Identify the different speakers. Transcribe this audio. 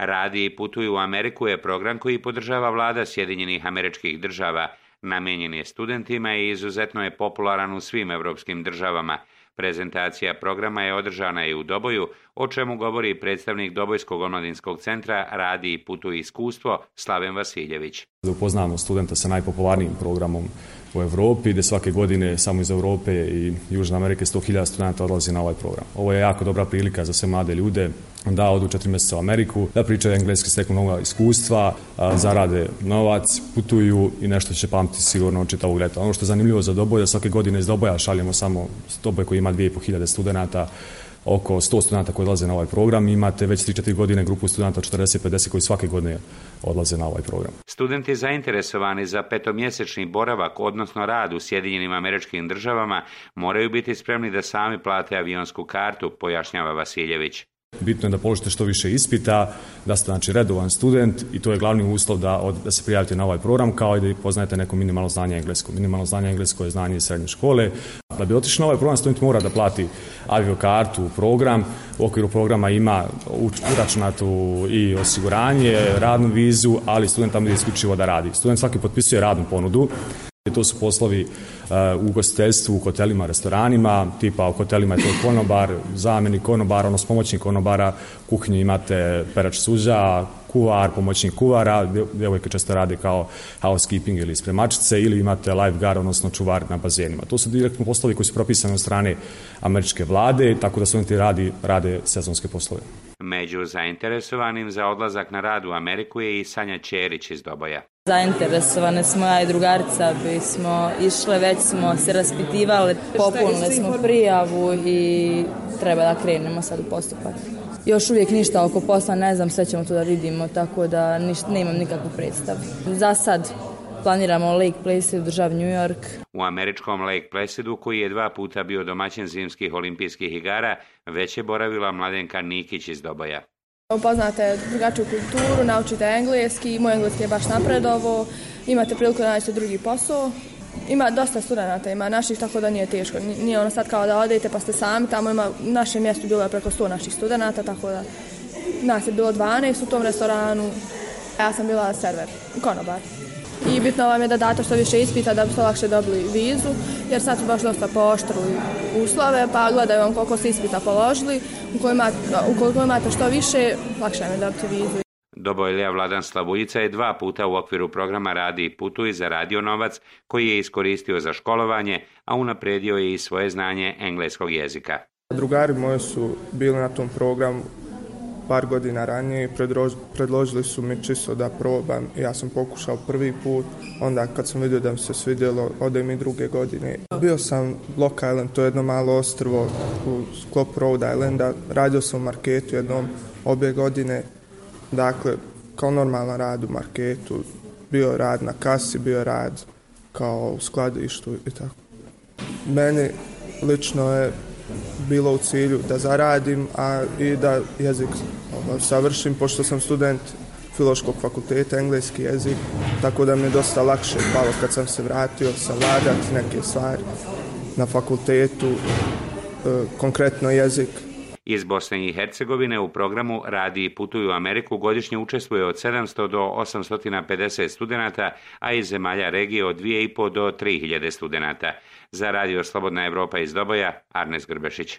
Speaker 1: Radi i putuju u Ameriku je program koji podržava vlada Sjedinjenih Američkih Država. Namijenjen je studentima i izuzetno je popularan u svim evropskim državama. Prezentacija programa je održana i u Doboju, o čemu govori predstavnik Dobojskog omladinskog centra Radi i putuj iskustvo Slaven Vasiljević.
Speaker 2: Upoznamo studenta sa najpopularnijim programom u Evropi, gdje svake godine samo iz Europe i Južne Amerike 100.000 studenta odlazi na ovaj program. Ovo je jako dobra prilika za sve mlade ljude da odu 4 mjeseca u Ameriku, da pričaju engleski, steknu nova iskustva, zarade novac, putuju i nešto će pamtiti sigurno od čitavog leta. Ono što je zanimljivo za Doboj, da svake godine iz Doboja šaljemo samo Doboj koji ima 2.500 studenta, oko 100 studenta koji odlaze na ovaj program. Imate već 3-4 godine grupu studenta 40-50 koji svake godine odlaze na ovaj program.
Speaker 1: Studenti zainteresovani za 5-mjesečni boravak, odnosno rad u Sjedinjenim Američkim Državama, moraju biti spremni da sami plate avionsku kartu, pojašnjava Vasiljević.
Speaker 2: Bitno je da položite što više ispita, da ste znači redovan student i to je glavni uslov da se prijavite na ovaj program, kao i da poznajete neko minimalno znanje engleskog. Minimalno znanje engleskog je znanje iz srednje škole. Da bi otišli na ovaj program, student mora da plati aviokartu u program. U okviru programa ima uračunatu i osiguranje, radnu vizu, ali student tamo ide isključivo da radi. Student svaki potpisuje radnu ponudu. To su poslovi u ugostiteljstvu, u hotelima, restoranima, tipa u hotelima je to konobar, zamjenik konobara, odnosno pomoćnik konobara, u kuhinji imate perač suđa, kuvar, pomoćnik kuvara, djevojke često rade kao housekeeping ili spremačice, ili imate lifeguard, odnosno čuvar na bazenima. To su direktno poslovi koji su propisani od strane američke vlade, tako da studenti rade sezonske poslove.
Speaker 1: Među zainteresovanim za odlazak na rad u Ameriku je i Sanja Ćerić iz Doboja.
Speaker 3: Zainteresovane smo, ja i drugarica bismo išle, već smo se raspitivali, popunili smo prijavu i treba da krenemo sad u postupak. Još uvijek ništa oko posla, ne znam, sve ćemo to da vidimo, tako da nemam nikakvu predstavu. Za sad planiramo Lake Placid u državi New York.
Speaker 1: U američkom Lake Placidu, koji je 2 puta bio domaćin zimskih olimpijskih igara, već je boravila Mladenka Nikić iz Doboja.
Speaker 4: Upoznate drugačiju kulturu, naučite engleski, moj engleski je baš napredovao, imate priliku da nađete drugi posao. Ima dosta studenata, ima naših, tako da nije teško. Nije ono sad kao da odete pa ste sami, tamo ima, u našem mjestu bilo je preko 100 naših studenata, tako da nas je bilo 12 u tom restoranu, a ja sam bila server, konobar. I bitno vam je da date što više ispita da bi se lakše dobili vizu, jer sad su baš dosta pooštrili uslove, pa gledaju vam koliko ste ispita položili, ukoliko imate što više, lakše vam je dobiti vizu.
Speaker 1: Dobojlija Vladan Slavuljica je 2 puta u okviru programa Radi i putuj zaradio novac koji je iskoristio za školovanje, a unapredio je i svoje znanje engleskog jezika.
Speaker 5: Drugari moji su bili na tom programu par godina ranije i predložili su mi čisto da probam. Ja sam pokušao prvi put, onda kad sam vidio da mi se svidjelo, odem i druge godine. Bio sam Block Island, to je jedno malo ostrvo u sklopu Rhode Islanda. Radio sam u marketu jednom obje godine, dakle, kao normalan rad u marketu. Bio rad na kasi, bio rad kao u skladištu i tako. Meni lično je bilo u cilju da zaradim, a i da jezik savršim, pošto sam student Filološkog fakulteta, engleski jezik, tako da mi je dosta lakše palo kad sam se vratio savladati neke stvari na fakultetu, konkretno jezik.
Speaker 1: Iz Bosne i Hercegovine u programu Radi i putuj u Ameriku godišnje učestvuje od 700 do 850 studenata, a iz zemalja regije od 2.500 do 3.000 studenata. Za Radio Slobodna Evropa iz Doboja, Arnes Grbešić.